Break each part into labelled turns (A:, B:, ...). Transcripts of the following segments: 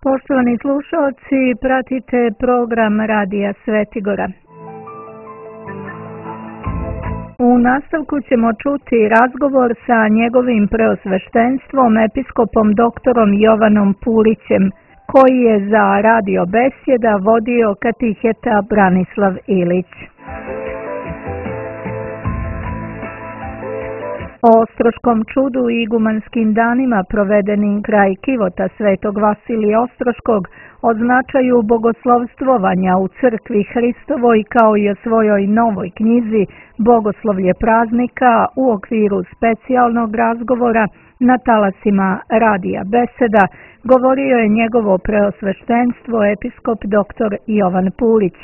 A: Poštovani slušalci, pratite program Radija Svetigora. U nastavku ćemo čuti razgovor sa njegovim preosveštenstvom, episkopom doktorom Jovanom Pulićem, koji je za Radio Besjeda vodio katiheta Branislav Ilić. O Ostroškom čudu i igumanskim danima provedenim kraj Kivota Svetog Vasilija Ostroškog, o značaju bogoslovstvovanja u crkvi Hristovoj kao i o svojoj novoj knjizi Bogoslovlje praznika u okviru specijalnog razgovora na talasima Radija Beseda govorio je njegovo preosveštenstvo episkop dr. Jovan Pulić.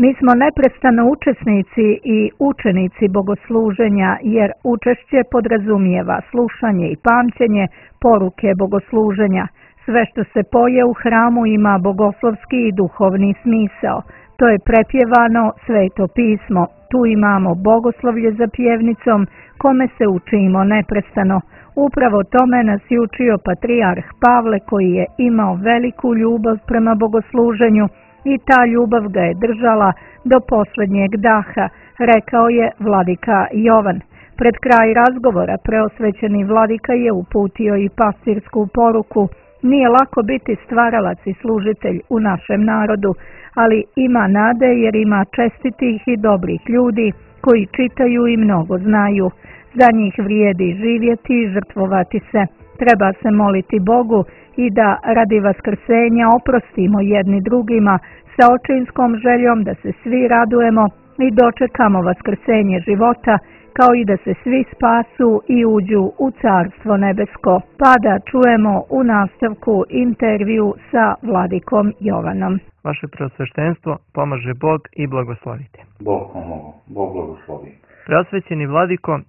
A: Mi smo neprestano učesnici i učenici bogosluženja, jer učešće podrazumijeva slušanje i pamćenje poruke bogosluženja. Sve što se poje u hramu ima bogoslovski i duhovni smisao. To je prepjevano Sveto pismo. Tu imamo bogoslovlje za pjevnicom, kome se učimo neprestano. Upravo tome nas je učio patrijarh Pavle, koji je imao veliku ljubav prema bogosluženju, i ta ljubav ga je držala do posljednjeg daha, rekao je vladika Jovan. Pred kraj razgovora preosvećeni vladika je uputio i pastirsku poruku. Nije lako biti stvaralac i služitelj u našem narodu, ali ima nade jer ima čestitih i dobrih ljudi koji čitaju i mnogo znaju. Za njih vrijedi živjeti i žrtvovati se. Treba se moliti Bogu i da radi vaskrsenja oprostimo jedni drugima sa očinskom željom da se svi radujemo i dočekamo vaskrsenje života, kao i da se svi spasu i uđu u Carstvo nebesko. Pa da čujemo u nastavku intervju sa vladikom Jovanom.
B: Vaše preosveštenstvo, pomaže Bog i blagoslovite.
C: Bog pomogu, Bog blagoslovi.
B: Preosvećeni vladiko,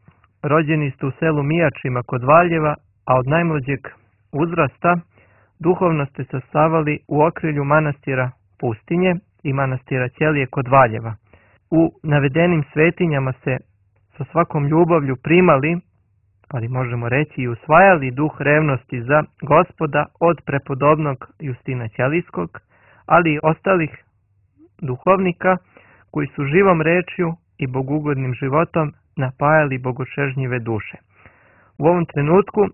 B: rođeni ste u selu Mijačima kod Valjeva, a od najmlađeg uzrasta duhovno ste sastavali u okrilju manastira Pustinje i manastira Ćelije kod Valjeva. U navedenim svetinjama se sa svakom ljubavlju primali, ali možemo reći i usvajali duh revnosti za Gospoda od prepodobnog Justina Ćelijskog, ali i ostalih duhovnika koji su živom rečju i bogugodnim životom napajali bogočežnjive duše. U ovom trenutku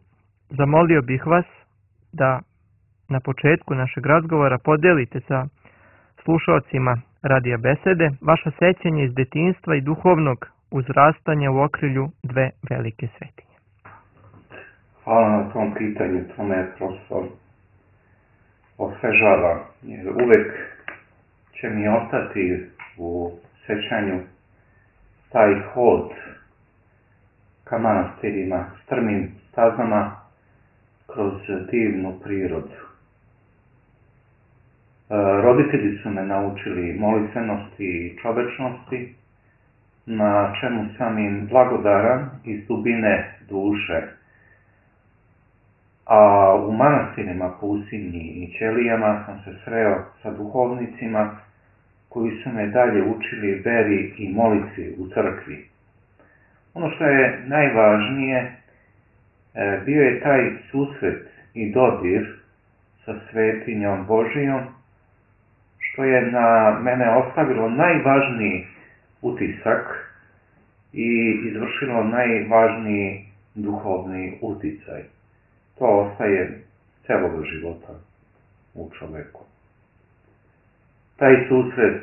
B: zamolio bih vas da na početku našeg razgovora podelite sa slušalcima Radija Besede vaša sećanja iz detinjstva i duhovnog uzrastanja u okrilju dve velike svetinje.
C: Hvala na tom pitanju, to me prosto osvežava, jer uvek će mi ostati u sećanju taj hod ka manastirima, strmim stazama kroz divnu prirodu. Roditelji su me naučili molitvenosti i čovečnosti, na čemu sam im blagodaran iz dubine duše. A u manastirima Pusinji i Ćelijama sam se sreo sa duhovnicima koji su me dalje učili veri i molitvi u crkvi. Ono što je najvažnije, bio je taj susret i dodir sa svetinjom Božijom, što je na mene ostavilo najvažniji utisak i izvršilo najvažniji duhovni uticaj. To ostaje celog života u čoveku. Taj susret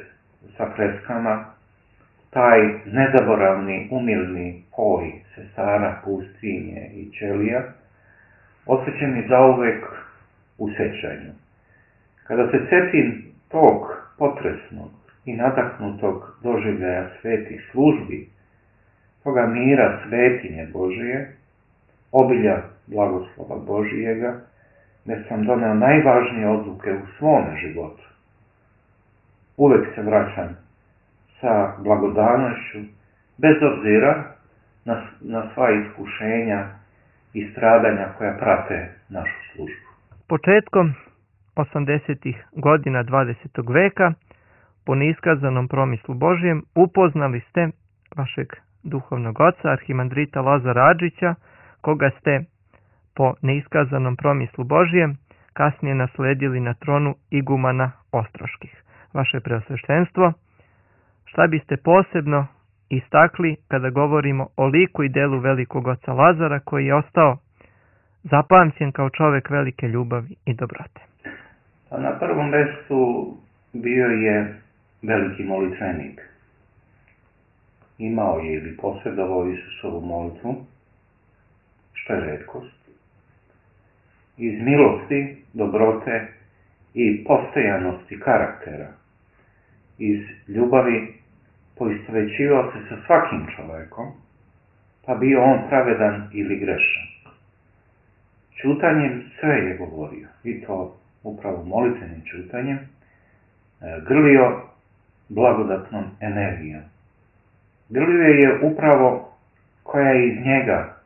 C: sa freskama, taj nezaboravni, umilni poj sestara Pustinje i Ćelija, ostaće mi zauvek u sećanju. Kada se sjetim tog potresnog i nadahnutog doživljaja svetih službi, toga mira svetinje Božije, obilja blagoslova Božijega, gdje sam doneo najvažnije odluke u svome životu. Uvek se vraćam sa blagodanošću, bez obzira na sva iskušenja i stradanja koja prate našu službu.
B: Početkom 80. godina 20. veka, po neiskazanom promislu Božijem, upoznali ste vašeg duhovnog oca, arhimandrita Lazara Adžića, koga ste po neiskazanom promislu Božijem kasnije nasledili na tronu igumana Ostroških. Vaše preosveštenstvo, šta biste posebno istakli kada govorimo o liku i delu velikog oca Lazara, koji je ostao zapamćen kao čovjek velike ljubavi i dobrote?
C: Pa na prvom mjestu bio je veliki molitvenik. Imao je ili posjedovao Isusovu molitvu, što je retkost. Iz milosti, dobrote i postojanosti karaktera, iz ljubavi poistovjećivao se sa svakim čovjekom, pa bio on pravedan ili grešan. Ćutanjem sve je govorio, i to upravo molitvenim ćutanjem, grlio blagodatnom energijom. Grlio je upravo koja je iz njega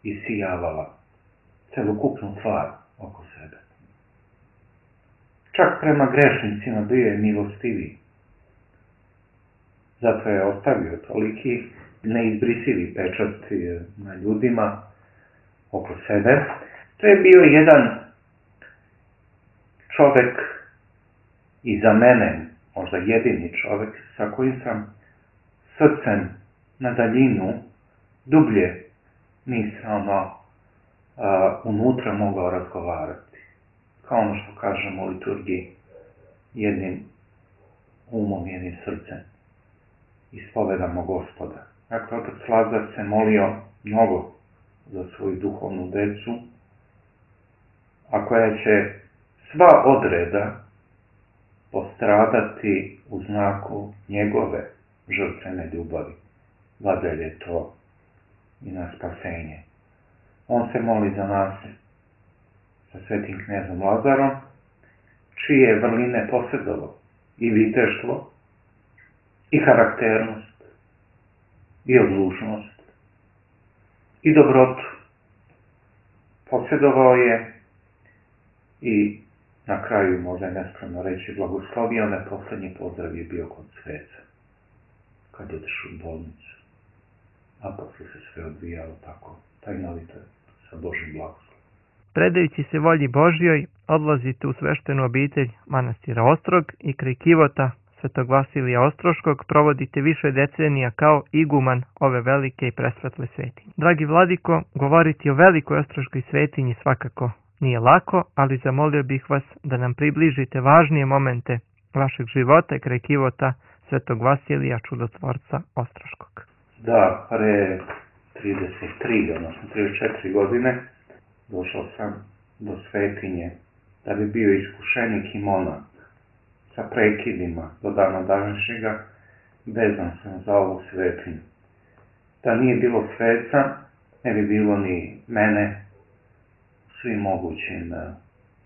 C: isijavala celokupnu stvar oko sebe. Čak prema grešnicima bio je milostiviji. Zato je ostavio toliki neizbrisivi pečat na ljudima oko sebe. To je bio jedan čovjek i za mene, možda jedini čovjek sa kojim sam srcem na daljinu dublje nisam unutra mogao razgovarati. Kao ono što kažemo u liturgiji, jednim umom, jednim srcem ispovedamo Gospoda. Dakle, otac Lazar se molio mnogo za svoju duhovnu decu, a koja će sva odreda postradati u znaku njegove žrtvene ljubavi. Vadelj je to i na spasenje. On se moli za nas sa svetim knezom Lazarom, čije vrline posjedovao i viteštvo, i karakternost, i odlučnost, i dobrotu. Posjedovao je i na kraju, možda je nespravno reći, blagoslovio me, posljednji pozdrav je bio kod sveca, kad je otišao u bolnicu. A posle se sve odvijalo tako, tajnovito, sa Božim blagoslovom.
B: Predajući se volji Božjoj, odlazite u sveštenu obitelj manastira Ostrog i kraj kivota Svetog Vasilija Ostroškog provodite više decenija kao iguman ove velike i presvetle svetinje. Dragi vladiko, govoriti o velikoj ostroškoj svetinji svakako nije lako, ali zamolio bih vas da nam približite važnije momente vašeg života kraj kivota Svetog Vasilija Čudotvorca Ostroškog.
C: Da, pre 33, odnosno 34 godine došao sam do svetinje da bi bio iskušenik i monah. Sa prekidima do dana današnjega vezan sam za ovu svetinju. Da nije bilo sveca, ne bi bilo ni mene u svim mogućim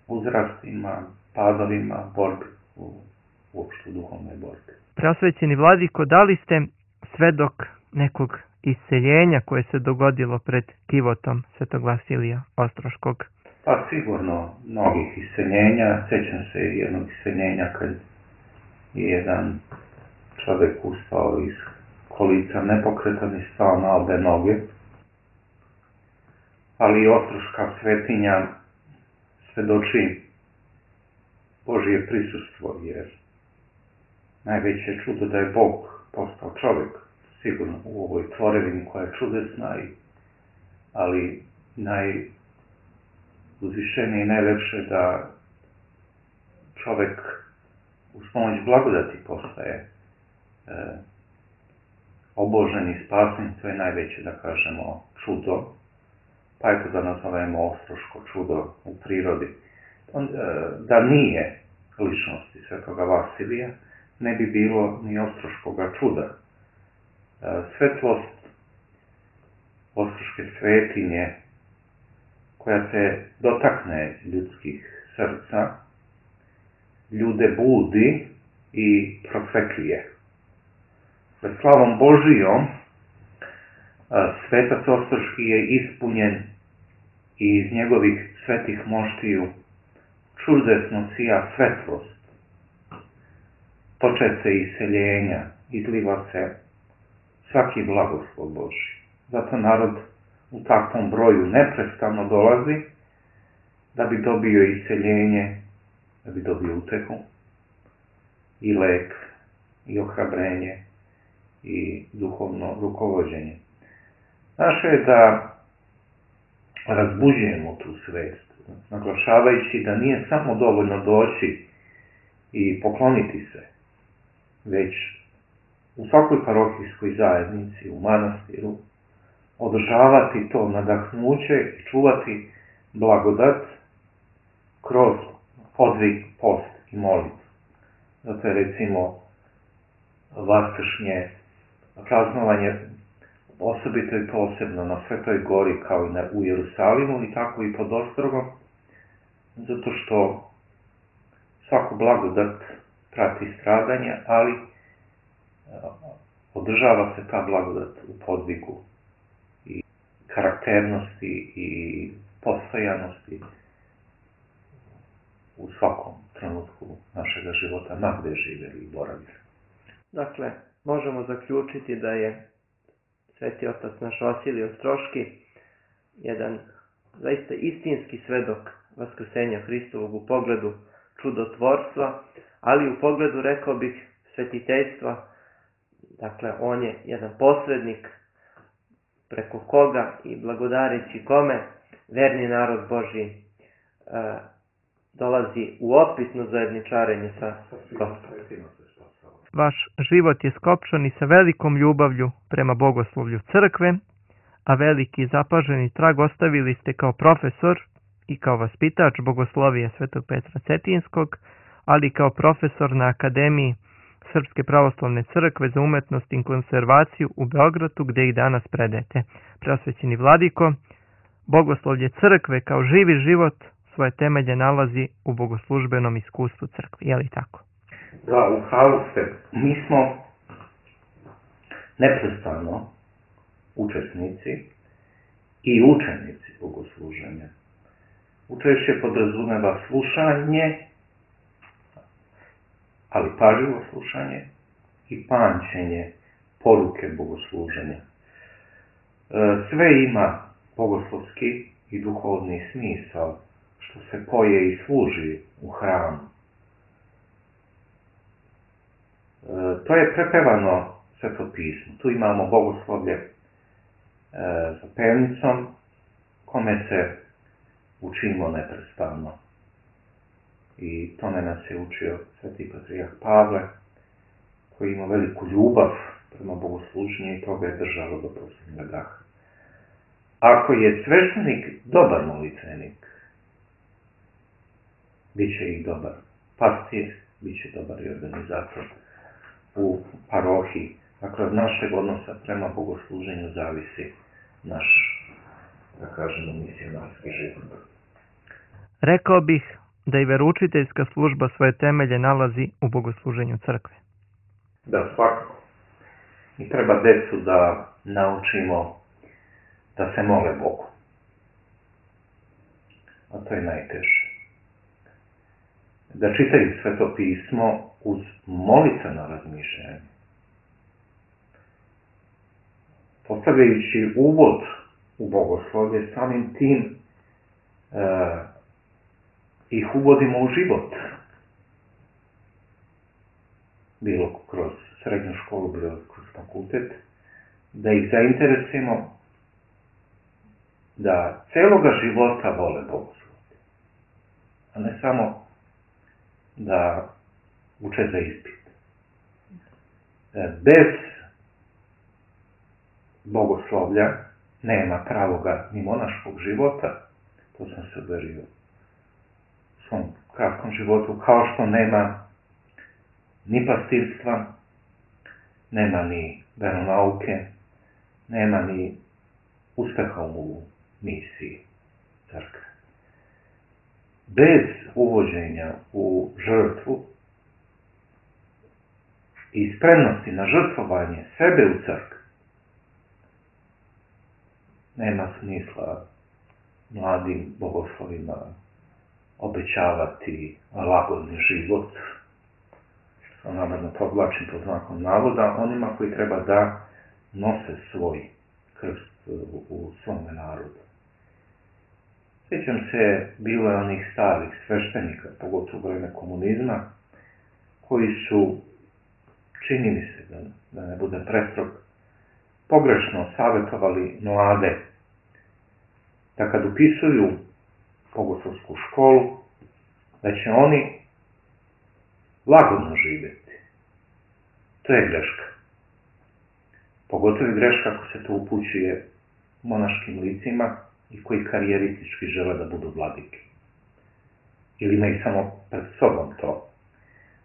C: uzrastima, padovima, borbi, uopšte u duhovnoj borbi.
B: Preosvećeni vladiko, da li ste svedok nekog isceljenja koje se dogodilo pred kivotom Svetog Vasilija Ostroškog?
C: Pa sigurno mnogih isceljenja. Sjećam se jednog isceljenja kad je jedan čovjek ustao iz kolica nepokretan i stao na obe noge. Ali i Ostroška svetinja svedoči Božje prisustvo, jer najveće čudo da je Bog postao čovjek, sigurno u ovoj tvorevini koja je čudesna, ali najuzvišenije i najlepše da čovjek uz pomoć blagodati postaje obožen i spasen. To je najveće, da kažemo, čudo, pa eto da nazovemo Ostroško čudo u prirodi. Da nije ličnosti Svetoga Vasilija, ne bi bilo ni Ostroškoga čuda. Svetlost Ostroške svetinje koja se dotakne ljudskih srca, ljude budi i prosvetljuje. Slavom Božijom svetac Ostroški je ispunjen i iz njegovih svetih moštiju čudesno sija svetlost. Toče se iseljenja, izliva se svaki blagoslov Božji. Zato narod u takvom broju neprestano dolazi da bi dobio isceljenje, da bi dobio utehu i lek i ohrabrenje i duhovno rukovođenje. Naše je da razbuđujemo tu svest, naglašavajući da nije samo dovoljno doći i pokloniti se, već u svakoj parohijskoj zajednici, u manastiru, održavati to nadahnuće i čuvati blagodat kroz podvig, post i molitvu. Zato je recimo vaskršnje praznovanje osobito i posebno na Svetoj gori kao i u Jerusalimu i tako i pod Ostrogom, zato što svaku blagodat prati stradanje, ali održava se ta blagodat u podvigu i karakternosti i postojanosti u svakom trenutku našega života, ma gde živjeli i boravili.
B: Dakle, možemo zaključiti da je Sveti otac naš Vasilij Ostroški jedan zaista istinski svedok vaskrsenja Hristovog u pogledu čudotvorstva, ali u pogledu, rekao bih, svetiteljstva. Dakle, on je jedan posrednik preko koga i blagodareći kome verni narod Božji dolazi u opitno zajedničarenje sa Gospodom. Vaš život je skopčan i sa velikom ljubavlju prema bogoslovlju crkve, a veliki zapaženi trag ostavili ste kao profesor i kao vaspitač bogoslovije Svetog Petra Cetinskog, ali i kao profesor na Akademiji Srpske pravoslavne crkve za umetnost i konservaciju u Beogradu, gde i danas predajete. Preosvećeni vladiko, bogoslovlje crkve kao živi život svoje temelje nalazi u bogoslužbenom iskustvu crkve. Je li tako?
C: Da, u pravu ste. Mi smo neprestano učesnici i učenici bogosluženja. Učešće podrazumeva slušanje, ali pažljivo slušanje i pamćenje poruke bogosluženja. Sve ima bogoslovski i duhovni smisao što se poje i služi u hramu. To je prepevano Sveto pismo. Tu imamo bogoslovlje za pevnicom, kome se učimo neprestano. I tome nas je učio Sveti Patrijarh Pavle, koji ima veliku ljubav prema bogosluženju i toga je držalo do posljednjega daha. Ako je sveštenik dobar molitvenik, bit će i dobar pastir, bit će dobar i organizator u parohiji. Dakle, od našeg odnosa prema bogosluženju zavisi naš, da kažemo, misionarski život.
B: Rekao bih da i veroučiteljska služba svoje temelje nalazi u bogosluženju crkve.
C: Da, svakako. I treba decu da naučimo da se mole Bogu. A to je najteže. Da čitaju Sveto pismo uz molitveno razmišljanje. Postavljajući uvod u bogoslovlje, samim tim ih uvodimo u život. Bilo kroz srednju školu, bilo kroz fakultet. Da ih zainteresujemo da celoga života vole bogoslovlje. A ne samo da uče za ispit. Bez bogoslovlja nema pravoga ni monaškog života. To sam se uverio u svom kratkom životu. Kao što nema ni pastirstva, nema ni veronauke, nema ni uspeha u misiji crkve. Bez uvođenja u žrtvu i spremnosti na žrtvovanje sebe u crkvi nema smisla mladim bogoslovima obećavati lagodni život, što namerno podvlačim pod znakom navoda, onima koji treba da nose svoj krst u svome narodu. Sjećam se, bilo je onih starih sveštenika, pogotovo u vreme komunizma, koji su, čini mi se da ne bude prestrog, pogrešno savjetovali mlade da kad upisuju bogoslovsku školu, da će oni lagodno živjeti. To je greška. Pogotovo je greška ako se to upućuje monaškim licima i koji karijeristički žele da budu vladike. Ili imaju samo pred sobom to.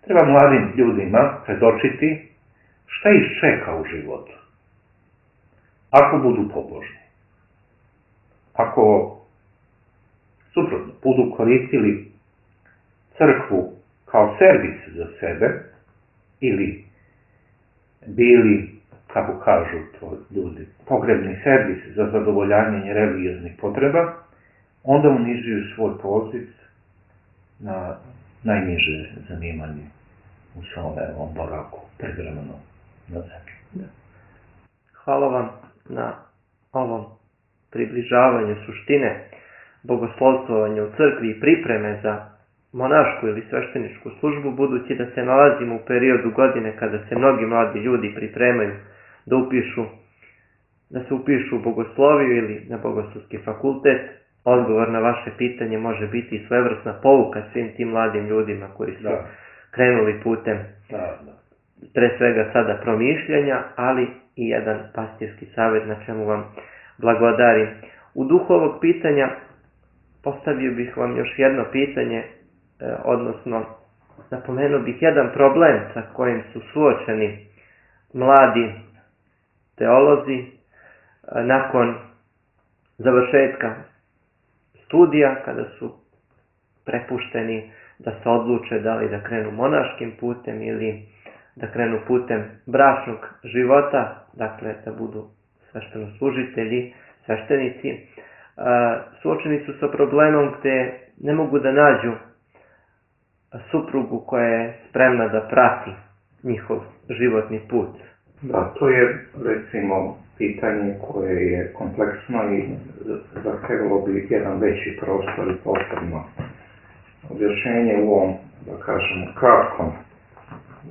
C: Treba mladim ljudima predočiti šta ih čeka u životu. Ako budu pobožni. Ako suprotno budu koristili crkvu kao servis za sebe ili bili, kako kažu to ljudi, pogrebni servis za zadovoljavanje religioznih potreba, onda unižuju svoj poziv na najniže zanimanje u svom boravku privremeno na zemlji.
B: Hvala vam na ovom približavanju suštine bogoslovstvovanja u crkvi i pripreme za monašku ili svešteničku službu, budući da se nalazimo u periodu godine kada se mnogi mladi ljudi pripremaju da se upišu u bogosloviju ili na bogoslovski fakultet. Odgovor na vaše pitanje može biti i svevrsna pouka svim tim mladim ljudima koji su krenuli putem pre svega sada promišljanja, ali i jedan pastirski savjet na čemu vam blagodarim. U duhu ovog pitanja postavio bih vam još jedno pitanje, odnosno napomenuo bih jedan problem sa kojim su suočeni mladi teolozi nakon završetka studija, kada su prepušteni da se odluče da li da krenu monaškim putem ili da krenu putem bračnog života, dakle da budu sveštenoslужitelji, sveštenici. Suočeni su sa problemom gde ne mogu da nađu suprugu koja je spremna da prati njihov životni put.
C: Da, to je recimo pitanje koje je kompleksno i zahtevalo bi jedan veći prostor i posebno objašnjenje u ovom, da kažemo, kratkom,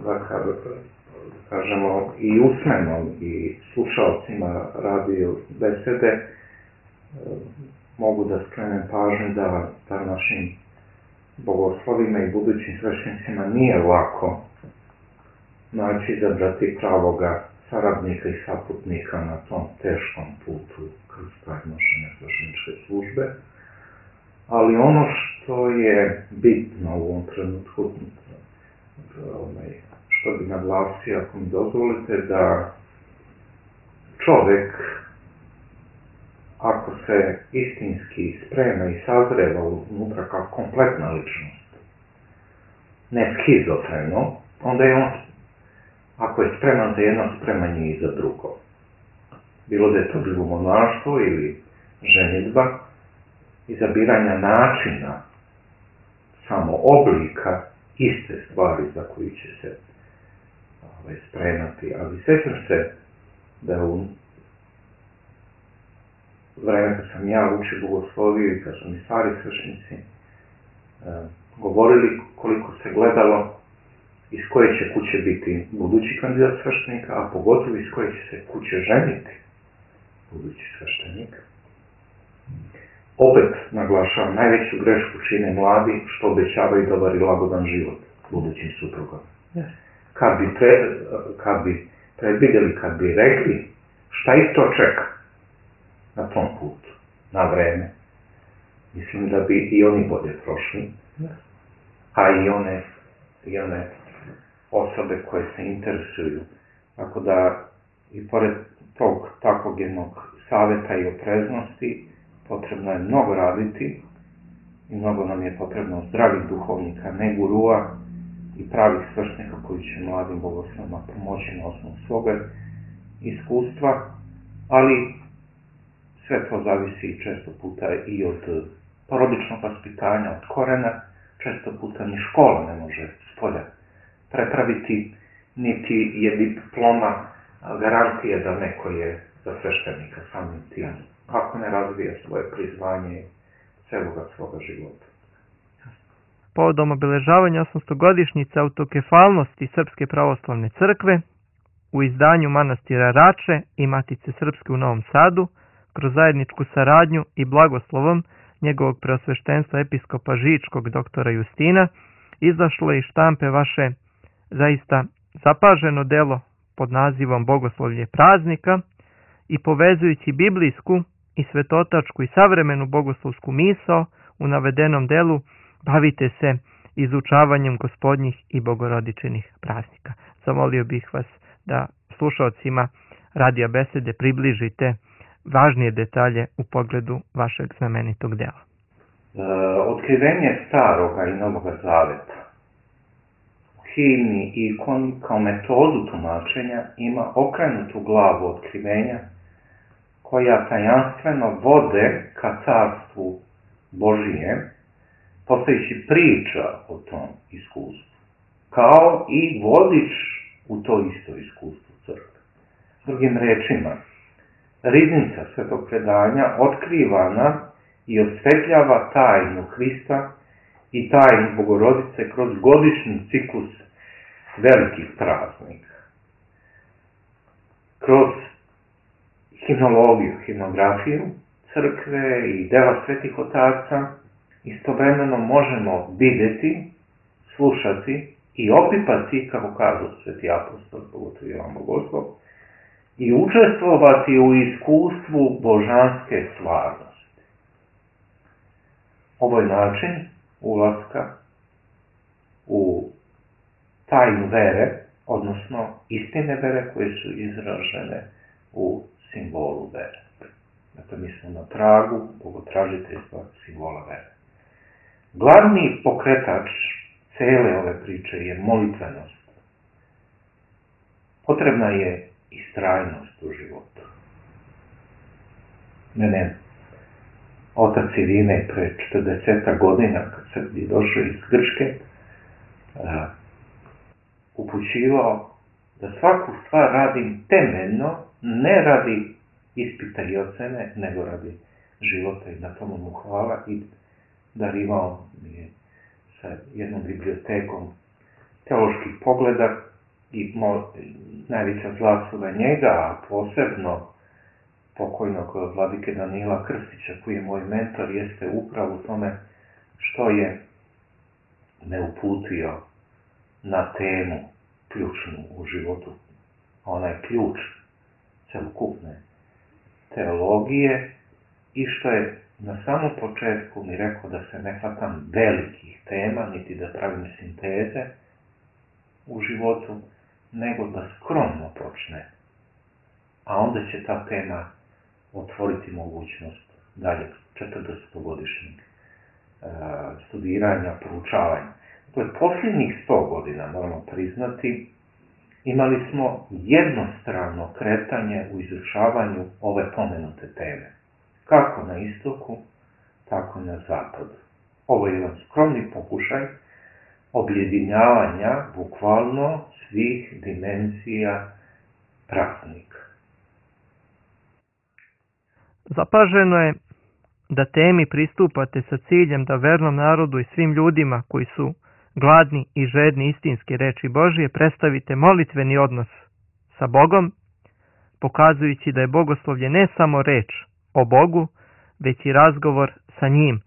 C: da kažemo i usmenom i slušalcima radio besede mogu da skrenem pažnju da našim bogoslovima i budućim sveštenicima nije lako naći izabrati pravoga saradnika i saputnika na tom teškom putu kroz prednošenje svešteničke službe. Ali ono što je bitno u ovom trenutku, što bi naglasio, ako mi dozvolite, da čovek, ako se istinski sprema i sazreva unutra kao kompletna ličnost, ne schizofreno, onda je on, ako je spreman za jedno, spreman je i za drugo. Bilo da je to bilo monaštvo ili ženidba, izabiranja načina, samo oblika, iste stvari za koji će se spremati. Ali sjećam se da u vreme kad sam ja učio bogosloviju i kad su mi stari sveštenici govorili koliko se gledalo iz koje će kuće biti budući kandidat sveštenika, a pogotovo iz koje će se kuće ženiti budući sveštenik. Opet naglašavam, najveću grešku čine mladi što obećavaju dobar i lagodan život budućim suprugom. Kad bi predvidjeli, kad bi rekli šta ih to čeka na tom putu, na vreme, mislim da bi i oni bolje prošli, a i one osobe koje se interesuju. Tako da i pored tog takvog jednog savjeta i opreznosti potrebno je mnogo raditi i mnogo nam je potrebno zdravih duhovnika, ne gurua i pravih sveštenika koji će mladim bogoslovima pomoći na osnovu svoga iskustva, ali sve to zavisi često puta i od porodičnog vaspitanja, od korena, često puta ni škola ne može spolja prepraviti, niti je diploma garantija da neko je za sveštenika samim tim. Ako ne razvija svoje prizvanje celoga svoga života.
B: Povodom obeležavanja 800-godišnjice autokefalnosti Srpske pravoslavne crkve u izdanju manastira Rače i Matice Srpske u Novom Sadu, kroz zajedničku saradnju i blagoslovom njegovog preosveštenstva episkopa Žičkog doktora Justina, izašlo je iz štampe vaše zaista zapaženo delo pod nazivom Bogoslovlje praznika i povezujući biblijsku i svetotačku i savremenu bogoslovsku misao u navedenom delu bavite se izučavanjem gospodnjih i bogorodičnih praznika. Zamolio bih vas da slušalcima radija besede približite važnije detalje u pogledu vašeg znamenitog dela.
C: Otkrivenje Staroga i Novoga Zaveta u himni i ikoni kao metodu tumačenja ima okrenutu glavu otkrivenja koja tajanstveno vode ka carstvu Božijem, postojići priča o tom iskustvu, kao i vodič u to isto iskustvo crkve. Drugim rečima, riznica svetog predanja otkrivana i osvetljava tajnu Hrista i tajnu Bogorodice kroz godišnji ciklus velikih praznika. Kroz himnologiju, himnografiju crkve i dela svetih otaca istovremeno možemo vidjeti, slušati i opipati, kako kažu sveti apostol, pogotovo Jovan Bogoslov, i učestvovati u iskustvu božanske stvarnosti. Ovo je način ulaska u tajnu vere, odnosno istine vere koje su izražene u simbolu vere. Dakle, mi smo na tragu bogotražiteljstva simbola vere. Glavni pokretač cele ove priče je molitvenost. Potrebna je istrajnost u životu. Mene otac Irine pre 40 godina, kad sam je došao iz Grčke, upućivao da svaku stvar radim temeljno, ne radi ispita i ocene, nego radi života, i na tomu mu hvala, i darivao mi je sa jednom bibliotekom teoloških pogleda i najveća zasluga njega, a posebno pokojnog vladike Danila Krstića, koji je moj mentor, jeste upravo u tome što je me uputio na temu ključnu u životu, onaj ključ celokupne teologije, i što je na samom početku mi rekao da se ne hvatam velikih tema, niti da pravim sinteze u životu, nego da skromno počne, a onda će ta tema otvoriti mogućnost dalje 40-godišnjeg studiranja, proučavanja. Dakle, posljednjih 100 godina, moramo priznati, imali smo jednostrano kretanje u izučavanju ove pomenute teme. Kako na istoku, tako i na zapadu. Ovo je jedan skromni pokušaj objedinjavanja bukvalno svih dimenzija praznika.
B: Zapaženo je da temi pristupate sa ciljem da vernom narodu i svim ljudima koji su gladni i žedni istinske reči Božije predstavite molitveni odnos sa Bogom, pokazujući da je bogoslovlje ne samo reč o Bogu, već i razgovor sa njim,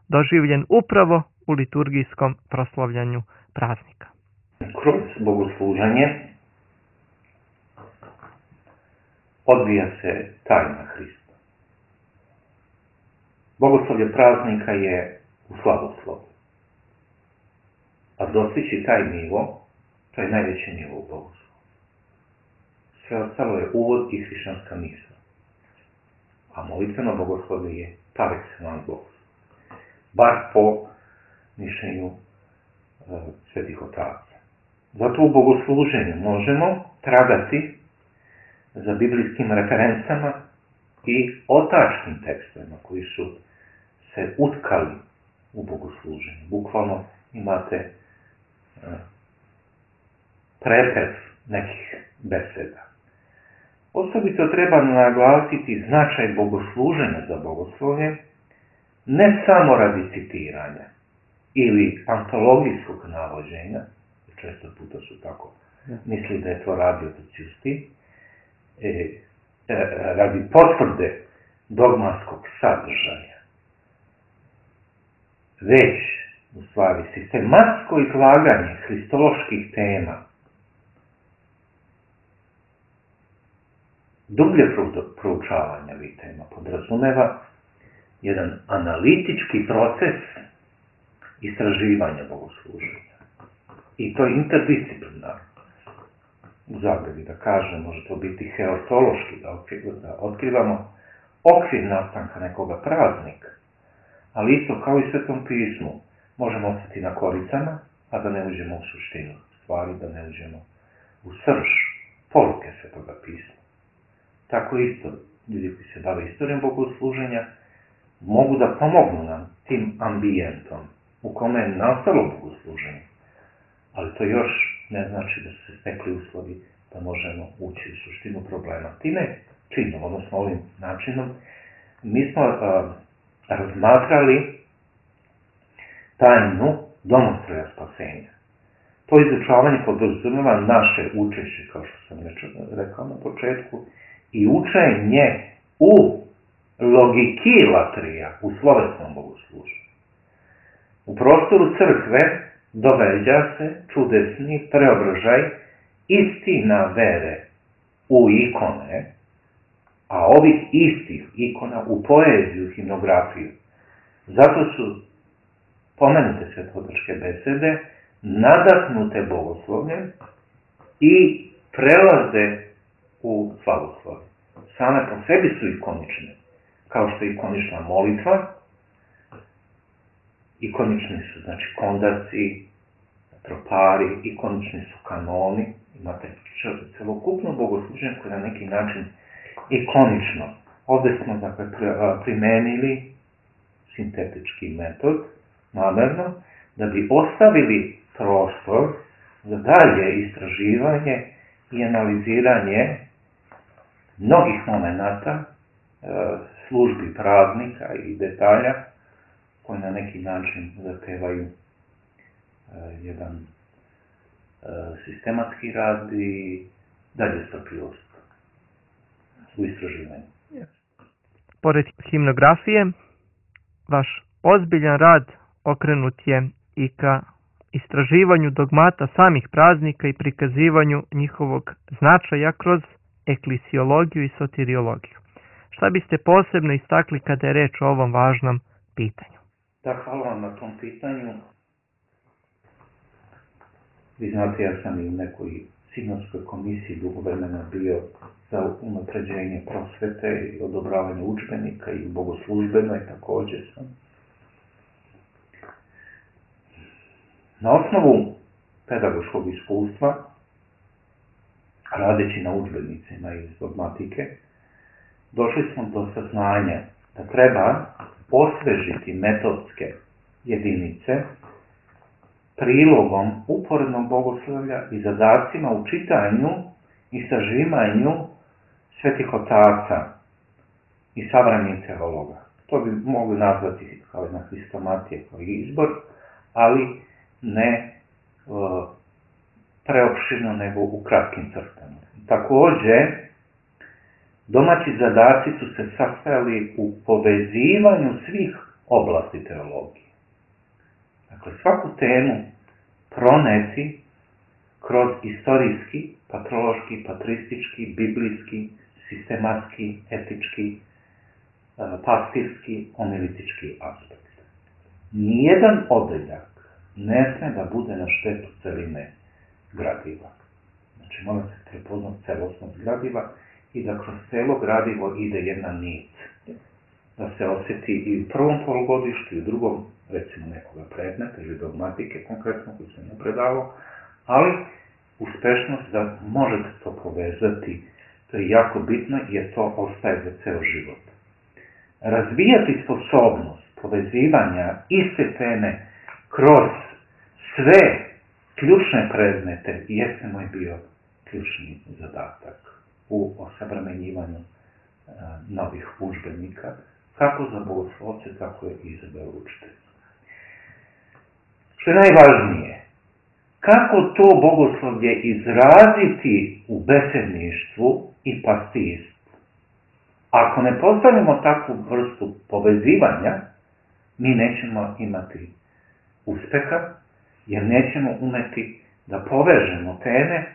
B: doživljen upravo u liturgijskom proslavljanju praznika.
C: Kroz bogosluženje odvija se tajna Hrista. Bogoslovlje praznika je u slavoslovu. A dostići taj nivo, to je najveći nivo u bogoslovu. Sve ostalo je uvod i hrišćanska misla. A molitveno bogoslovlje je par excellence bogoslovo. Bar po mišljenju svetih otaca. Zato u bogosluženju možemo tragati za biblijskim referencama i otačnim tekstovima koji su se utkali u bogosluženju. Bukvalno imate prepis nekih beseda. Osobito treba naglasiti značaj bogosluženja za bogoslovlje ne samo radi citiranja ili antologijskog navođenja, često puta su tako misli da je to radio Ciusti, radi potvrde dogmatskog sadržaja, već u stvari sistematsko izlaganje hristoloških tema, dublje proučavanje ovih tema podrazumeva jedan analitički proces istraživanja bogosluženja. I to je interdisciplinarno. U zagradi da kažem, može to biti heotološki, da otkrivamo okvir nastanka nekoga praznika, ali isto kao i Svetom pismu, možemo ostati na koricama, a da ne uđemo u suštinu stvari, da ne uđemo u srž poruke Svetoga pisma. Tako isto, ljudi koji se bave istorijom bogosluženja, mogu da pomognu nam tim ambijentom u kome je nastalo bogosluženje. Ali to još ne znači da su se stekli uslovi da možemo ući u suštinu problema. Time činom, odnosno ovim načinom, mi smo razmatrali tajnu domostroja spasenja. To izučavanje podrazumeva naše učešće, kao što sam rekao na početku, i učenje u logiki latrija, u slovesnom bogosluženju. U prostoru crkve događa se čudesni preobražaj istina vere u ikone, a ovih istih ikona u poeziju, himnografiju. Zato su pomenute svetovačke besede nadahnute bogoslovljem i prelaze u slavoslovlje. Same po sebi su ikonične, kao što je ikonična molitva, ikonični su, znači, kondaci, tropari, ikonični su kanoni, imate celokupno bogosluženje koje je na neki način ikonično. Ovdje smo, dakle, primenili sintetički metod, namerno, da bi ostavili prostor za dalje istraživanje i analiziranje mnogih momenata, službi praznika i detalja koji na neki način zahtevaju jedan sistematski rad i dalje strpljivost u istraživanju.
B: Pored himnografije, vaš ozbiljan rad okrenut je i ka istraživanju dogmata samih praznika i prikazivanju njihovog značaja kroz eklisiologiju i soteriologiju. Šta biste posebno istakli kada je reč o ovom važnom pitanju?
C: Da, hvala vam na tom pitanju. Vi znate, ja sam i u nekoj sinodskoj komisiji dugo vremena bio za unapređenje prosvete i odobravanje udžbenika i bogoslužbenoj također sam. Na osnovu pedagoškog iskustva, radeći na udžbenicima iz dogmatike, došli smo do saznanja da treba osvežiti metodske jedinice prilogom uporednog bogoslovlja i zadacima u čitanju i sažimanju svetih otaca i savremenih teologa. To bi mogli nazvati kao jedna hristomatija, kao izbor, ali ne preopširno, nego u kratkim crtama. Također, domaći zadaci su se sastojali u povezivanju svih oblasti teologije. Dakle, svaku temu proneti kroz istorijski, patrološki, patristički, biblijski, sistematski, etički, pastirski, homilitički aspekt. Nijedan odeljak ne sme da bude na štetu celine gradiva. Znači, mora se prepoznati celosnost gradiva i da kroz celo gradivo ide jedna nit. Da se osjeti i u prvom polugodištu i u drugom, recimo nekoga predmeta ili dogmatike konkretno koji sam ne predavao, ali uspešnost da možete to povezati, to je jako bitno jer to ostaje za ceo život. Razvijati sposobnost povezivanja iste teme kroz sve ključne predmete jeste moj bio ključni zadatak u osavremenjivanju novih udžbenika kako za bogoslovce, tako je i za veroučitelje. Što je najvažnije, kako to bogoslovlje izraziti u besedništvu i pastirstvu? Ako ne postavimo takvu vrstu povezivanja, mi nećemo imati uspeha, jer nećemo umeti da povežemo teme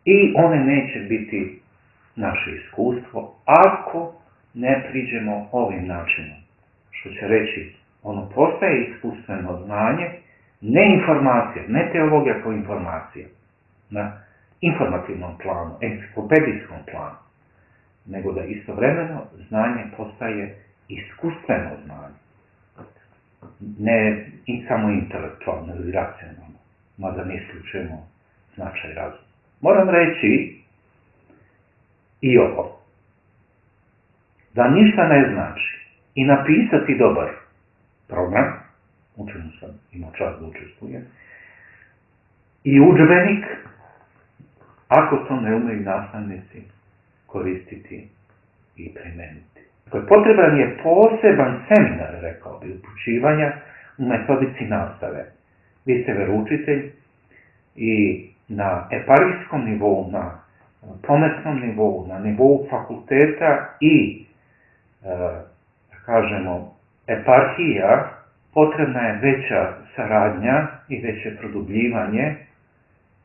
C: i one neće biti naše iskustvo ako ne priđemo ovim načinom. Što će reći, ono postaje iskustveno znanje, ne informacija, ne teologija kao informacija, na informativnom planu, enciklopedijskom planu, nego da istovremeno znanje postaje iskustveno znanje. Ne samo intelektualno ili racionalno, mada ne isključujemo značaj razuma. Moram reći i ovo, da ništa ne znači i napisati dobar program, u čemu sam imao čast da učestvujem, i udžbenik, ako to ne umeju nastavnici koristiti i primeniti. Potreban je poseban seminar, rekao bi, upućivanja u metodici nastave. Vi ste veroučitelj i na eparhijskom nivou, na pometnom nivou, na nivou fakulteta i, da kažemo, eparhija, potrebna je veća saradnja i veće produbljivanje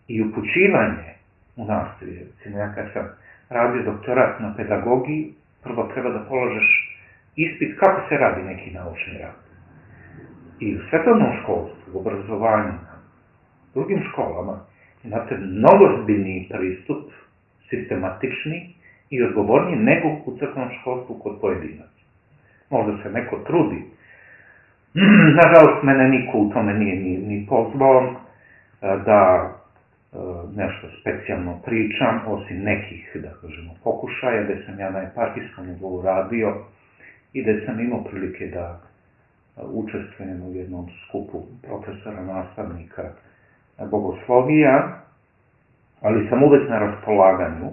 C: i upućivanje u nastavi. Recimo, ja kad sam radio doktorat na pedagogiji, prvo treba da položeš ispit kako se radi neki naučni rad. I u svetovnom školstvu, u obrazovanju, na drugim školama, imate mnogo zbiljniji pristup, sistematični i odgovorniji nego u crkvenom školstvu kod pojedinaca. Možda se neko trudi. Nažalost, mene niko u tome nije ni pozvao da nešto specijalno pričam, osim nekih, da kažemo, pokušaja, gde sam ja na eparhijskom nivou radio i gde sam imao prilike da učestvujem u jednom skupu profesora, nastavnika bogoslovija, ali sam uvek na raspolaganju,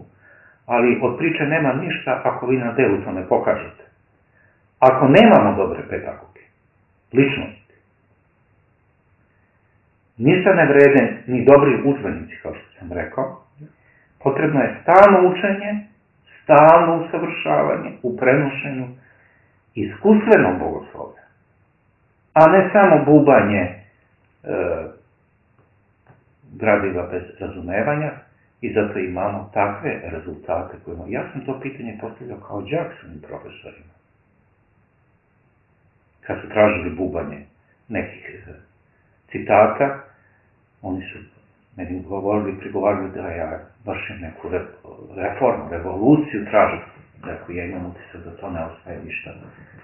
C: ali od priče nema ništa ako vi na delu to ne pokažete. Ako nemamo dobre pedagoge, ličnosti, ništa ne vrede ni dobri udžbenici, kao što sam rekao, potrebno je stalno učenje, stalno usavršavanje u prenošenju iskustvenog bogoslovlja, a ne samo bubanje gradiva bez razumevanja, i zato imamo takve rezultate koje imamo. Ja sam to pitanje postavljao kao đak svojim profesorima. Kad su tražili bubanje nekih citata, oni su meni prigovarali da ja vršim neku reformu, revoluciju, tražim. Dakle, ja imam utisak da to ne ostaje ništa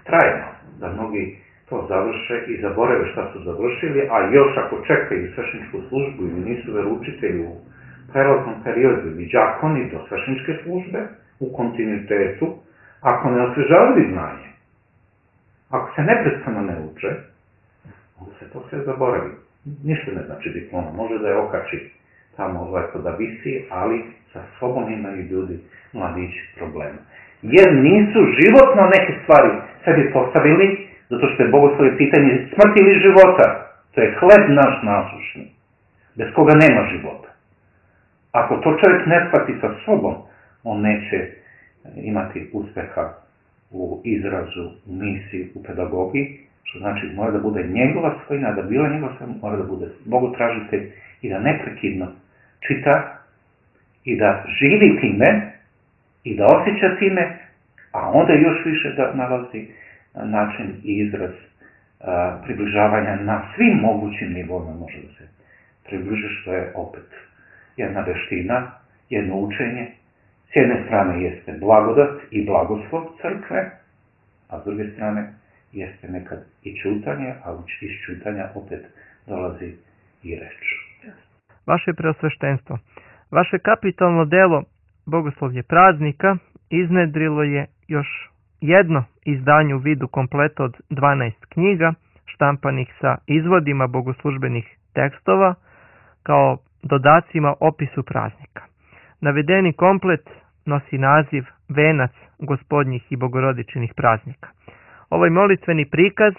C: trajno, da mnogi to završe i zaborave šta su završili, a još ako čekaju svešteničku službu ili nisu veroučitelji u prelaznom periodu ili đakoni do svešteničke službe u kontinuitetu, ako ne osvežavaju znanje, ako se neprestano ne uče, onda se to sve zaboravi. Ništa ne znači diploma, može da je okači tamo lepo da visi, ali sa sobom imaju ljudi, mladići, problema. Jer nisu životno neke stvari sebi postavili, zato što je bogoslovlje pitanje smrti ili života. To je hleb naš nasušni, bez koga nema života. Ako to čovjek ne shvati sa sobom, on neće imati uspeha u izrazu, u misiji, u pedagogiji, što znači mora da bude njegova svojina, da bila njegova svojina, mora da bude bogotražitelj i da neprekidno čita i da živi time i da osjeća time, a onda još više da nalazi način i izraz približavanja na svim mogućim nivoima može da se približi, što je opet jedna veština, jedno učenje. S jedne strane jeste blagodat i blagoslov crkve, a s druge strane jeste nekad i čutanje, a iz čutanja opet dolazi i reč.
B: Vaše preosveštenstvo, vaše kapitalno delo Bogoslovlje praznika iznedrilo je još jedno izdanje u vidu kompleta od 12 knjiga, štampanih sa izvodima bogoslužbenih tekstova, kao dodacima opisu praznika. Navedeni komplet nosi naziv Venac gospodnjih i bogorodičinih praznika. Ovaj molitveni prikaz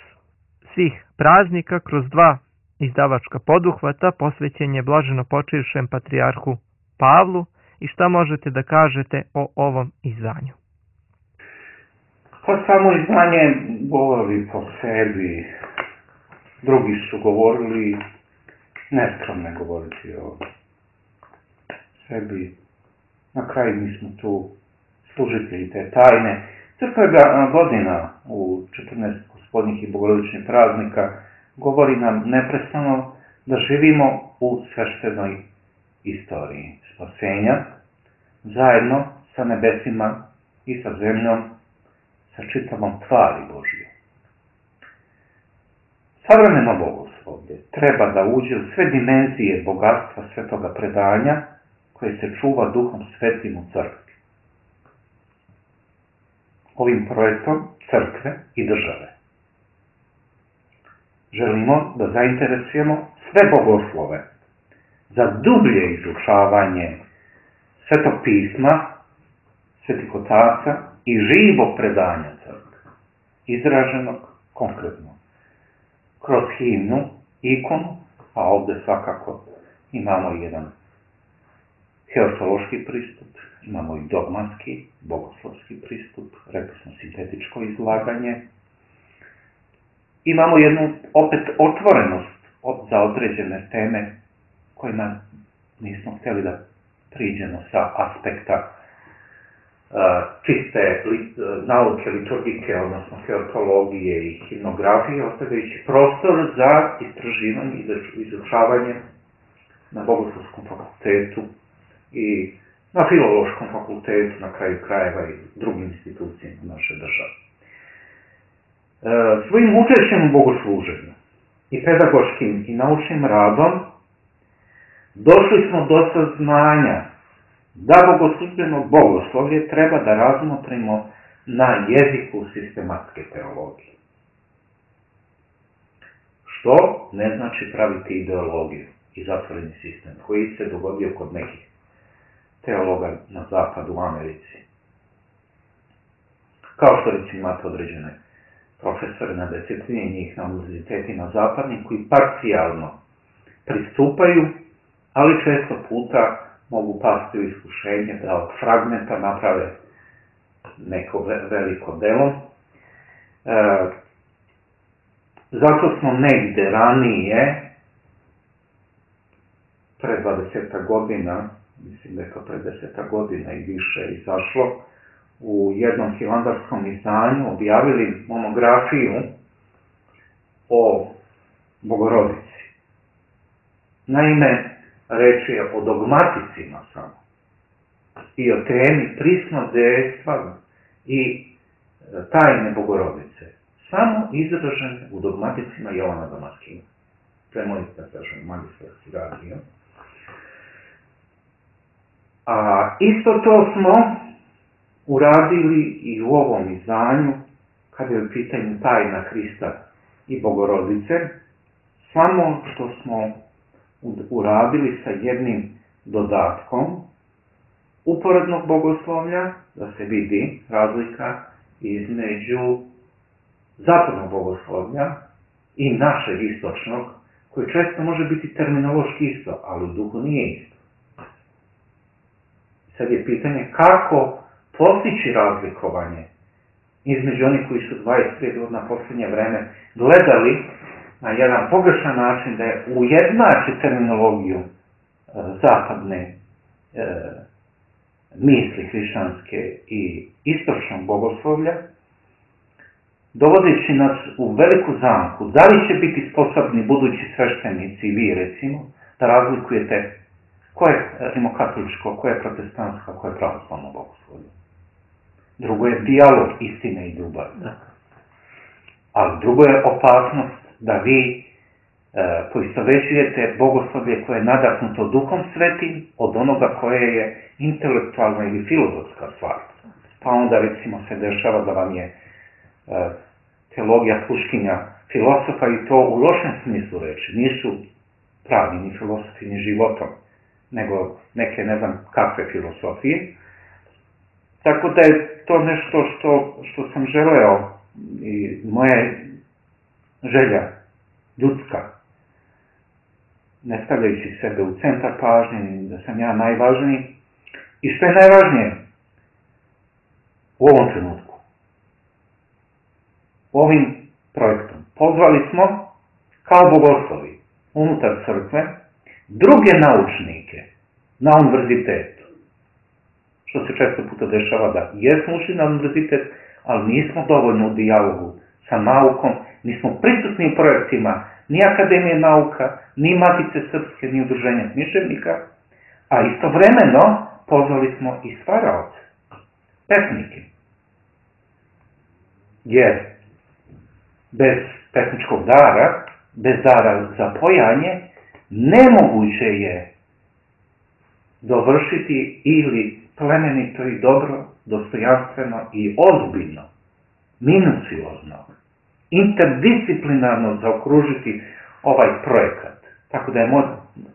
B: svih praznika kroz dva izdavačka poduhvata posvećen je blaženo počivšem patrijarhu Pavlu. I šta možete da kažete o ovom izdanju?
C: Pa samo izdanje govori po sebi. Drugi su govorili, neskromno govoriti o sebi. Na kraju mi smo tu služitelji te tajne. Crkva godina u 14 gospodnjih i bogorodičnih praznika govori nam neprestano da živimo u sveštenoj istoriji spasenja, zajedno sa nebesima i sa zemljom, sa čitavom tvari Božje. Savremeno bogoslovlje treba da uđe u sve dimenzije bogatstva svetoga predanja koje se čuva Duhom Svetim u crkvi. Ovim projektom crkve i države želimo da zainteresujemo sve bogoslove za dublje izučavanje Svetog pisma, svetih otaca i živog predanja crkve, izraženog konkretno kroz himnu, ikonu, a ovdje svakako imamo jedan heosološki pristup, imamo i dogmatski, bogoslovski pristup, rekli smo sintetičko izlaganje. Imamo jednu opet otvorenost za određene teme kojima nismo htjeli da priđemo sa aspekta čiste nauke liturgike, odnosno teologije i himnografije, ostavljajući prostor za istraživanje i izučavanje na Bogoslovskom fakultetu i na Filološkom fakultetu, na kraju krajeva i drugim institucijama naše države. Svojim učešćem u bogosluženju i pedagoškim i naučnim radom došli smo do saznanja da bogoslužbeno bogoslovlje treba da razmotrimo na jeziku sistematske teologije. Što ne znači praviti ideologiju i zatvoreni sistem koji se dogodio kod nekih teologa na zapadu u Americi. Kao što recimo imate određene profesore na desetini njih na univerzitetima zapadnih koji parcijalno pristupaju, ali često puta mogu pasti u iskušenje da od fragmenta naprave neko veliko delo. Zato smo negde ranije, pre 20 godina, mislim da je to pre 10 godina i više izašlo, u jednom hilandarskom izdanju objavili monografiju o Bogorodici. Naime, reč je o dogmaticima samo i o temi prisnodejstva i tajne Bogorodice. Samo izražene u dogmaticima Jovana Damaskina. To je moj, da kažem, magistarski radio. A isto to smo uradili i u ovom izdanju, kada je u pitanju tajna Hrista i Bogorodice, samo što smo uradili sa jednim dodatkom uporednog bogoslovlja, da se vidi razlika između zapadnog bogoslovlja i našeg istočnog, koji često može biti terminološki isto, ali u duhu nije isto. Sad je pitanje kako postići razlikovanje između onih koji su 25 godina posljednje vreme gledali na jedan pogrešan način da je ujednači terminologiju zapadne misli hrišćanske i istočnog bogoslovlja, dovodeći nas u veliku zamku. Da li će biti sposobni budući sveštenici i vi, recimo, da razlikujete ko je rimokatoličko, ko je protestantsko, ko je pravoslavno bogoslovlje? Drugo je dijalog istine i ljubavi. Ali drugo je opasnost da vi poistovećujete bogoslovlje koje je nadahnuto Duhom Svetim od onoga koje je intelektualna ili filozofska stvar. Pa onda recimo se dešava da vam je teologija sluškinja filosofa i to u lošem smislu reči. Nisu pravi ni filosofi ni životom, nego neke ne znam kakve filosofije. Tako da je to nešto što sam želeo i moja želja ljudska, ne stavljajući sebe u centar pažnje, da sam ja najvažniji. I što je najvažnije u ovom trenutku, ovim projektom, pozvali smo kao bogoslovi unutar crkve druge naučnike na univerzitetu. Što se često puta dešava da jesmo ušli na univerzitet, ali nismo dovoljno u dijalogu sa naukom, nismo prisutni u projektima ni Akademije nauka, ni Matice Srpske, ni Udruženja književnika, a istovremeno pozvali smo i stvaraoce, pesnike. Jer bez pesničkog dara, bez dara za pojanje, nemoguće je dovršiti ili plemenito i dobro, dostojanstveno i ozbiljno, minuciozno, interdisciplinarno zaokružiti ovaj projekat. Tako da je moj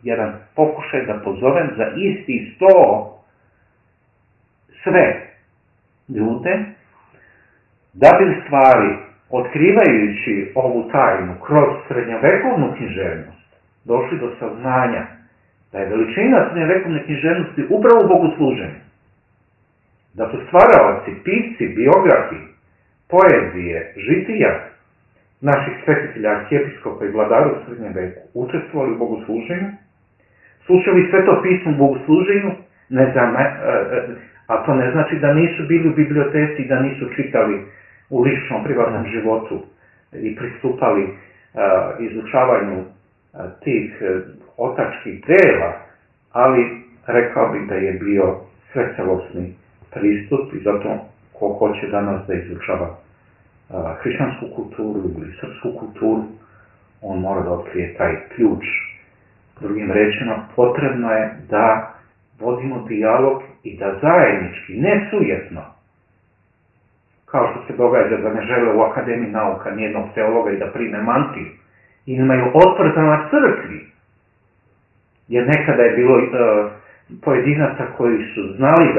C: jedan pokušaj da pozovem za isti sto sve ljude, da bi stvari, otkrivajući ovu tajnu kroz srednjovekovnu književnost, došli do saznanja da je veličina srednjovekovne književnosti upravo u bogosluženju. Da su stvaraoci, pisci, biografi, poezije, žitija naših svetitelja, arhijepiskopa i vladara u srednjem veku učestvovali u bogosluženju, slušali Sveto pismo u bogosluženju, a to ne znači da nisu bili u biblioteci i da nisu čitali u ličnom, privatnom životu i pristupali izučavanju tih otačkih dela, ali rekao bih da je bio svecelosni pristup i zato ko hoće danas da izučava hrišćansku kulturu ili srpsku kulturu, on mora da otkrije taj ključ. Drugim rečima, potrebno je da vodimo dijalog i da zajednički, ne sujetno, kao što se događa da ne žele u Akademiji nauka nijednog teologa i da prime mantiju, i imaju otpor prema crkvi. Jer nekada je bilo pojedinaca koji su znali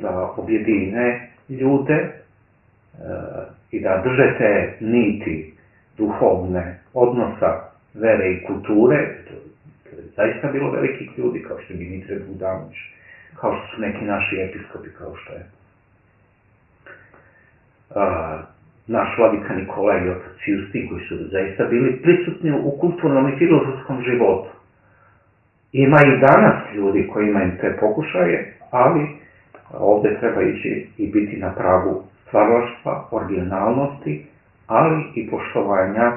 C: da objedine ljude i da drže te niti duhovne odnosa vere i kulture. To je zaista bilo velikih ljudi, kao što je Dimitre Bogdanović, kao što su neki naši episkopi, kao što je naš vladika Nikola i otac Justi, koji su zaista bili prisutni u kulturnom i filozofskom životu. Ima i danas ljudi koji imaju te pokušaje, ali ovde treba ići i biti na pragu stvaralaštva, originalnosti, ali i poštovanja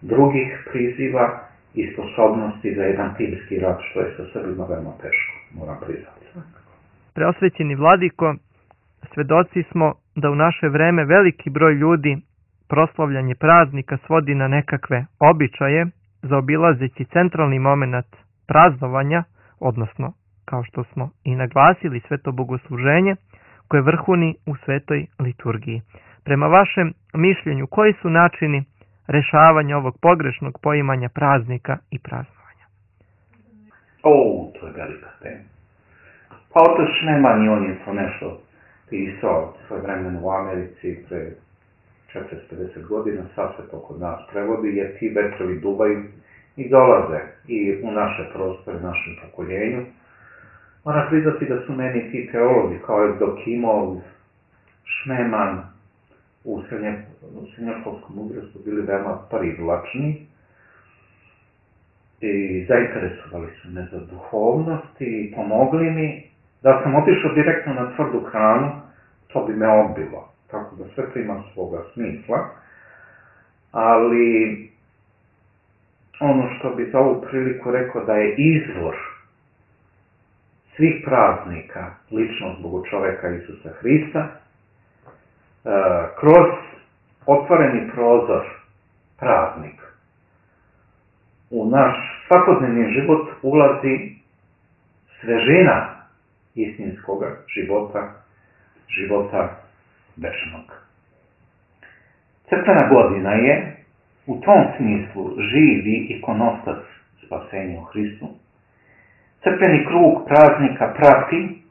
C: drugih priziva i sposobnosti za jedan timski rad, što je sa Srbima veoma teško, moram priznati.
B: Preosvećeni vladiko, svedoci smo da u naše vreme veliki broj ljudi proslavljanje praznika svodi na nekakve običaje, zaobilazeći centralni moment praznovanja, odnosno, kao što smo i naglasili, sveto bogosluženje, koje vrhuni u svetoj liturgiji. Prema vašem mišljenju, koji su načini rešavanja ovog pogrešnog poimanja praznika i praznovanja?
C: To je velika tema. Pa otac Šneman, on je to nešto pisao svoje vremena u Americi pre 450 godina, sad se to kod nas prevodi, jer ti vetrovi duvaju i dolaze i u naše prostore, našem pokoljenju. Moram priznati da su meni ti teolozi kao Evdokimov, Šneman u srednjoškolskom uzrastu bili veoma privlačni i zainteresovali su me za duhovnost i pomogli mi. Da sam otišao direktno na tvrdu hranu, to bi me odbilo. Tako da sve to ima svoga smisla. Ali ono što bi za ovu priliku rekao da je izvor svih praznika ličnost Bogočoveka Isusa Hrista, kroz otvoreni prozor praznik u naš svakodnevni život ulazi svežina istinskoga života večnog. Crkvena godina je u tom smislu živi ikonostas spasenja u Hristu. Crkveni krug praznika prati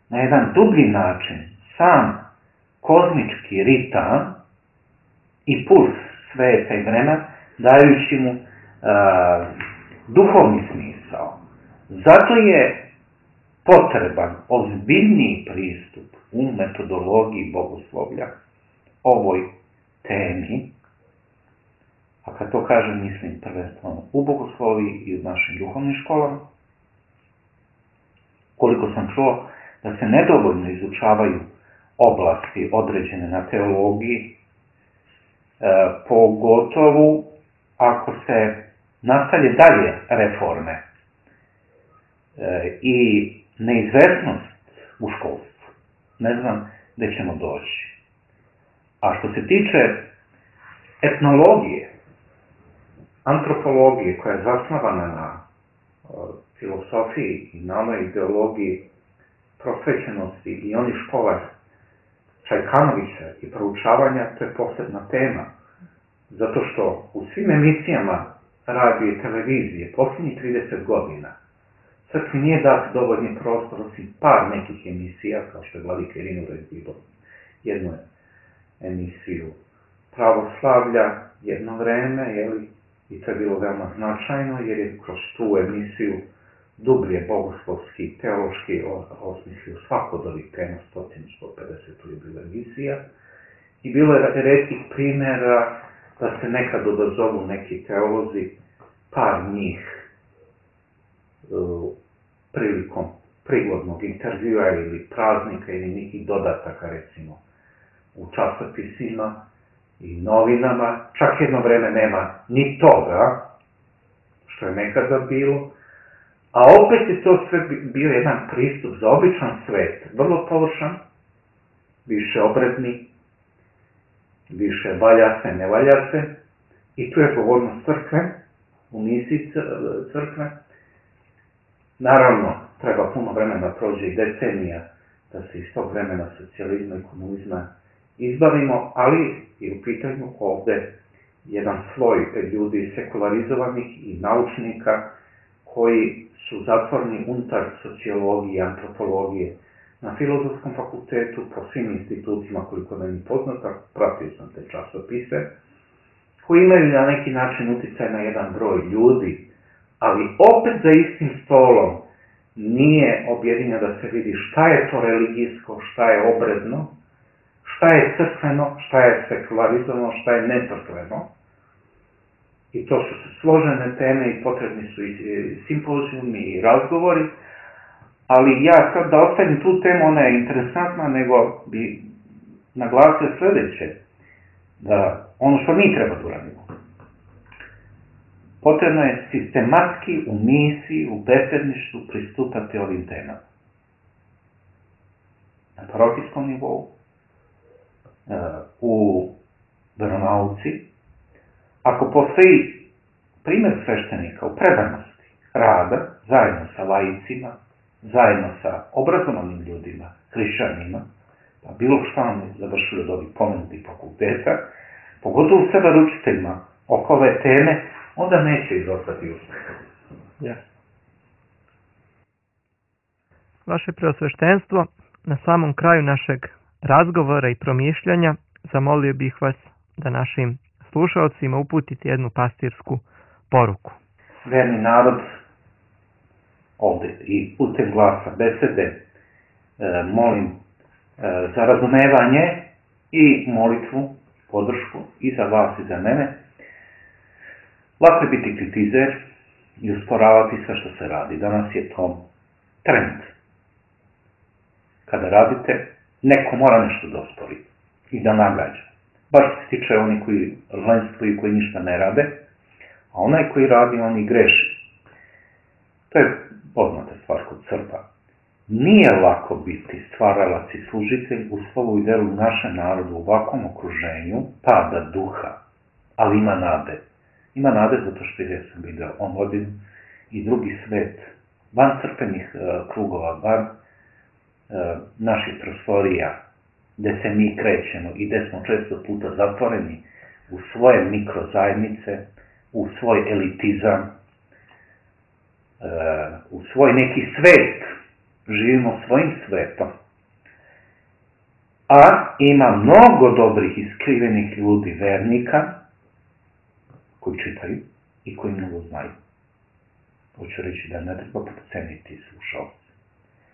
C: na jedan dublji način sam kozmički ritam i puls sveta i vremena, dajući mu duhovni smisao. Zato je potreban ozbiljniji pristup u metodologiji bogoslovlja ovoj temi, a kad to kažem mislim prvenstveno u bogosloviji i u našim duhovnim školama. Koliko sam čuo da se nedovoljno izučavaju oblasti određene na teologiji, pogotovo ako se nastavlje dalje reforme i neizvesnost u školstvu. Ne znam gde ćemo doći. A što se tiče etnologije, antropologije koja je zasnovana na filosofiji i na onoj ideologiji prosvećenosti i onih škola Čajkanovića i proučavanja, to je posebna tema. Zato što u svim emisijama radija i televizije posljednjih 30 godina crkvi nije dat dovoljni prostor osim par nekih emisija, kao što je Vladika Irina bilo jednu emisiju pravoslavlja jedno vreme, i to je bilo veoma značajno, jer je kroz tu emisiju dublje bogoslovski i teološki osmislio svako od ovih tema, 100-150 je bila emisija, i bilo je retkih primjera da se nekad odazovu neki teolozi, par njih prilikom prigodnog intervjua ili praznika ili nekih dodataka, recimo, u časopisima i novinama. Čak jedno vreme nema ni toga, što je nekada bilo, a opet je to sve bio jedan pristup za običan svet, vrlo površan, više obredni, više valja se, ne valja se, i tu je povoljnost crkve, u misiji crkve. Naravno, treba puno vremena prođe i decenija da se iz tog vremena socijalizma i komunizma izbavimo, ali je u pitanju ovde jedan sloj ljudi sekularizovanih i naučnika koji su zatvoreni unutar sociologije i antropologije na Filozofskom fakultetu, po svim institutima koliko nam je poznata, pratio sam te časopise, koji imaju na neki način uticaj na jedan broj ljudi, ali opet za istim stolom nije objedinjeno da se vidi šta je to religijsko, šta je obredno, šta je crkveno, šta je sekularizovano, šta je necrkveno. I to su složene teme i potrebni su i simpozijumi i razgovori, ali ja sad da ostavim tu temu, ona je interesantna, nego bi naglasio sljedeće, da ono što mi treba da uradimo, potrebno je sistematski u misiji, u bessedništvu pristupati ovim temama. Na parohijskom nivou, u veronauci, ako postoji primjer sveštenika u predanosti rada, zajedno sa laicima, zajedno sa obrazovanim ljudima, hrišćanima, pa bilo što oni završili od ovih pomenutih fakulteta, pogotovo sa veroučiteljima oko ove teme, onda neće izostati uspeh.
B: Ja. Vaše preosveštenstvo, na samom kraju našeg razgovora i promišljanja, zamolio bih vas da našim slušalcima uputite jednu pastirsku poruku.
C: Verni narod, ovde i putem glasa besede, molim za razumevanje i molitvu, podršku i za vas i za mene. Lako je biti kritizer i usporavati sve što se radi. Danas je to trend. Kada radite, neko mora nešto da ospori i da nagađa. Baš se tiče oni koji lenstvuju i koji ništa ne rade, a onaj koji radi, on i greši. To je poznata stvar kod Srba. Nije lako biti stvaralac i služitelj u slovu i delu našem narodu u ovakvom okruženju pada duha, ali ima nade. Ima nade zato što ja sam vidio omladinu i drugi svet, van crkvenih krugova, van naših prostorija, gde se mi krećemo i gde smo često puta zatvoreni u svoje mikrozajednice, u svoj elitizam, u svoj neki svet, živimo svojim svetom. A ima mnogo dobrih i skrivenih ljudi, vernika, koji čitaju i koji mnogo znaju. Hoću reći da ne treba podceniti slušalce.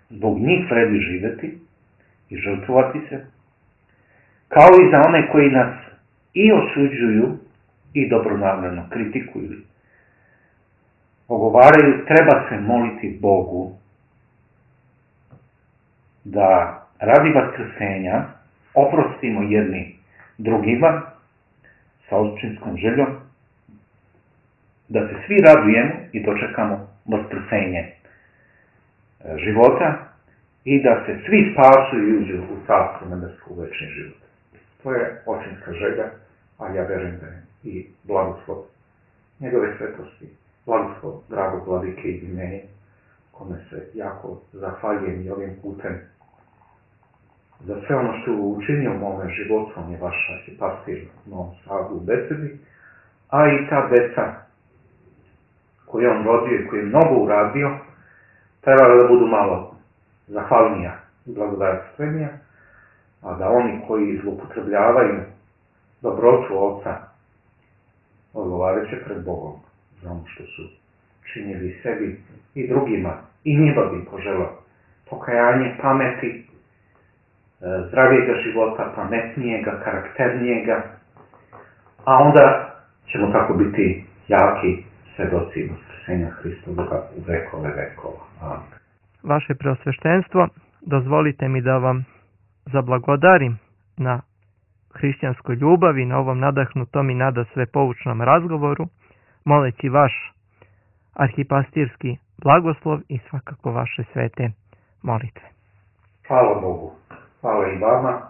C: Zbog njih vredi živeti i žrtvovati se, kao i za one koji nas i osuđuju i dobronamjerno kritikuju. Ogovaraju, treba se moliti Bogu da radi vaskrsenja oprostimo jedni drugima sa očinskom željom, da se svi radujemo i dočekamo vaskrsenje života i da se svi spasu i uđu u carstvo nebesko u večni život. To je očinska želja, a ja verujem da je i blagoslov njegove svetosti, blagoslov dragog vladike i meni, kome se jako zahvaljujem i ovim putem za sve ono što je učinio u mome životu. On je vaš arhipastir u Novom Sadu u besedi, a i ta deca koju on rodio i koju je mnogo uradio, treba da budu malo zahvalnija i blagodarstvenija, a da oni koji zloupotrebljavaju dobrotu Oca odgovarajuće pred Bogom za ono što su činili sebi i drugima, i njima bi poželao pokajanje, pameti, zdravijega života, pametnijega, karakternijega, a onda ćemo tako biti jaki svedoci vaskrsenja Hristovoga u vekove vekova. Amen.
B: Vaše preosveštenstvo, dozvolite mi da vam zablagodarim na hrišćanskoj ljubavi, na ovom nadahnutom i nadasve poučnom razgovoru, moleći vaš arhipastirski blagoslov i svakako vaše svete molitve.
C: Hvala Bogu, hvala i vama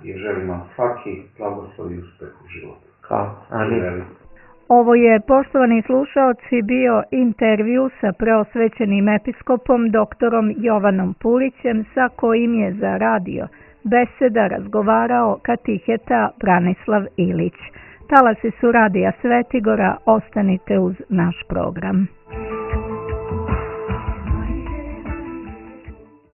C: i želim vam svaki blagoslov i uspeh u životu.
B: Hvala. Amin.
A: Ovo je, poštovani slušaoci, bio intervju sa preosvećenim episkopom doktorom Jovanom Pulićem, sa kojim je za radio Beseda razgovarao katiheta Branislav Ilić. Talasi su Radija Svetigora, ostanite uz naš program.